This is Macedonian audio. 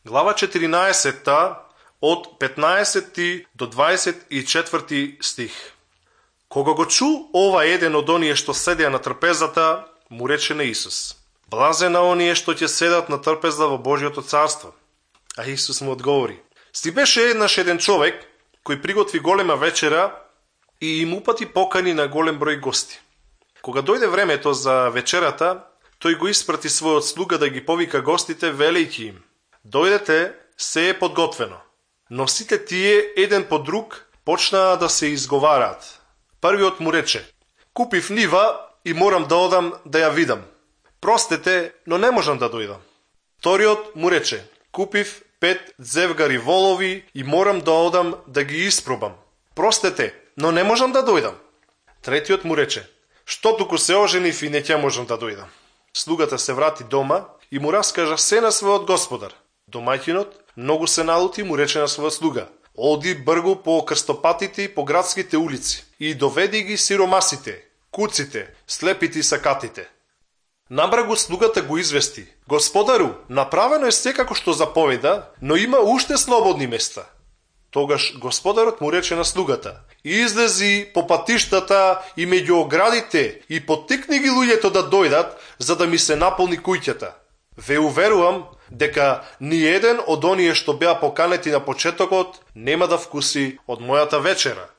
Глава 14 од 15 до 24 стих. Кога го чу ова еден од оние што седеа на трпезата, му рече на Исус: блазен на оние што ќе седат на трпеза во Божјото царство. А Исус му одговори: си беше еднаш еден човек кој приготви голема вечера и им упати покани на голем број гости. Кога дојде времето за вечерата, тој го испрати својот слуга да ги повика гостите, велејќи им: дојдете, се е подготвено. Но сите тие еден по друг почнаа да се изговараат. Првиот му рече: купив нива и морам да одам да ја видам. Простете, но не можам да дојдам. Вториот му рече: купив 5 зевгари волови и морам да одам да ги испробам. Простете, но не можам да дојдам. Третиот му рече: што туку се оженив и не ќе можам да дојдам. Слугата се врати дома и му раскажа се на својот господар. Домаќинот многу се налути и му рече на својот слуга: оди бргу по крстопатите и по градските улици и доведи ги сиромасите, куците, слепите и сакатите. Набра го слугата го извести: господару, направено е секако што заповеда, но има уште слободни места. Тогаш господарот му рече на слугата: излези по патиштата и меѓу оградите и поттикни ги луѓето да дојдат, за да ми се наполни куќата. Ве уверувам дека ни еден од оние што беа поканети на почетокот нема да вкуси од мојата вечера.